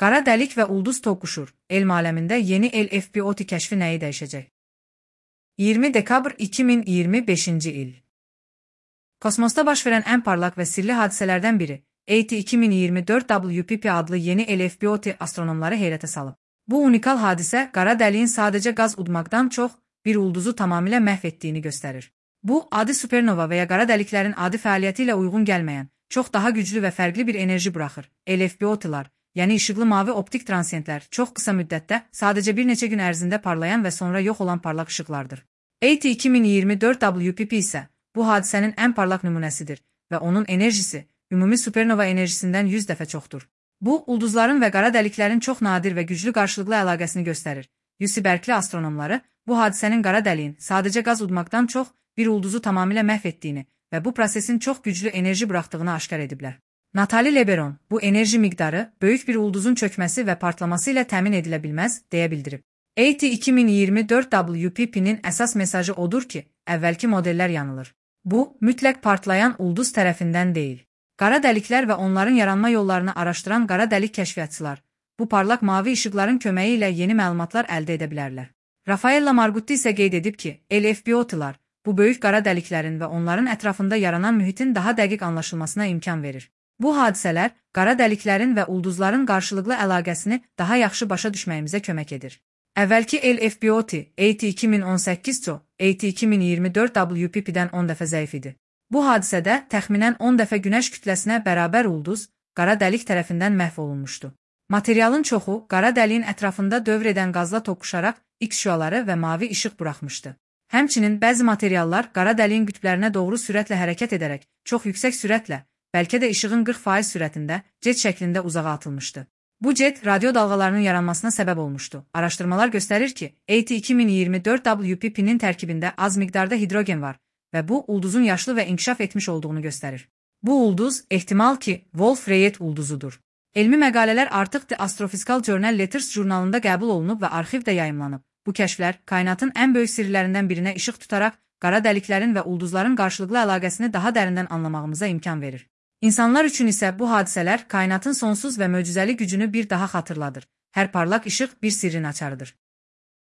Qara dəlik və ulduz toqquşur. Elm aləmində yeni LFBOT kəşfi nəyi dəyişəcək? 20 dekabr 2025-ci il. Kosmosda baş verən ən parlaq və sirli hadisələrdən biri, AT 2024 WPP adlı yeni LFBOT astronomları heyrətə salıb. Bu unikal hadisə qara dəliyin sadəcə qaz udmaqdan çox bir ulduzu tamamilə məhv etdiyini göstərir. Bu, adi supernova və ya qara dəliklərin adi fəaliyyəti ilə uyğun gəlməyən, çox daha güclü və fərqli bir enerji buraxır. LFBOT-lar, yəni işıqlı mavi optik transiyentlər, çox qısa müddətdə, sadəcə bir neçə gün ərzində parlayan və sonra yox olan parlaq işıqlardır. AT 2024 WPP isə bu hadisənin ən parlaq nümunəsidir və onun enerjisi ümumi supernova enerjisindən 100 dəfə çoxdur. Bu, ulduzların və qara dəliklərin çox nadir və güclü qarşılıqlı əlaqəsini göstərir. UC Berkeley astronomları bu hadisənin qara dəliyin sadəcə qaz udmaqdan çox bir ulduzu tamamilə məhv etdiyini və bu prosesin çox güclü enerji buraxdığını aşkar ediblər. Natalie Leberon, bu enerji miqdarı böyük bir ulduzun çökməsi və partlaması ilə təmin edilə bilməz, deyə bildirib. AT 2024 WPP-nin əsas mesajı odur ki, əvvəlki modellər yanılır. Bu, mütləq partlayan ulduz tərəfindən deyil. Qara dəliklər və onların yaranma yollarını araşdıran qara dəlik kəşfiyyatçılar, bu parlaq mavi işıqların köməyi ilə yeni məlumatlar əldə edə bilərlər. Rafaella Margutti isə qeyd edib ki, LFBOT-lar bu böyük qara dəliklərin və onların ətrafında yaranan mühitin daha dəqiq anlaşılmasına imkan verir. Bu hadisələr qara dəliklərin və ulduzların qarşılıqlı əlaqəsini daha yaxşı başa düşməyimizə kömək edir. Əvvəlki LFBOT, AT 2018 AT 2024 WPP-dən 10 dəfə zəif idi. Bu hadisədə təxminən 10 dəfə günəş kütləsinə bərabər ulduz qara dəlik tərəfindən məhv olunmuşdu. Materialın çoxu qara dəliyin ətrafında dövr edən qazla toqquşaraq X şüaları və mavi işıq buraxmışdı. Həmçinin bəzi materiallar qara dəliyin qütblərinə doğru sürətlə hərəkət edərək, çox yüksək sürətlə, bəlkə də işığın 40% sürətində, jet şəklində uzağa atılmışdı. Bu jet radio dalğalarının yaranmasına səbəb olmuşdu. Araşdırmalar göstərir ki, AT 2024 WPP-nin tərkibində az miqdarda hidrogen var və bu, ulduzun yaşlı və inkişaf etmiş olduğunu göstərir. Bu ulduz, ehtimal ki, Wolf-Rayet ulduzudur. Elmi məqalələr artıq The Astrophysical Journal Letters jurnalında qəbul olunub və arxivdə yayımlanıb. Bu kəşflər, kainatın ən böyük sirlərindən birinə işıq tutaraq, qara dəliklərin və ulduzların qarşılıqlı əlaqəsini daha dərindən anlamağımıza imkan verir. İnsanlar üçün isə bu hadisələr kainatın sonsuz və möcüzəli gücünü bir daha xatırladır. Hər parlaq işıq bir sirrin açarıdır.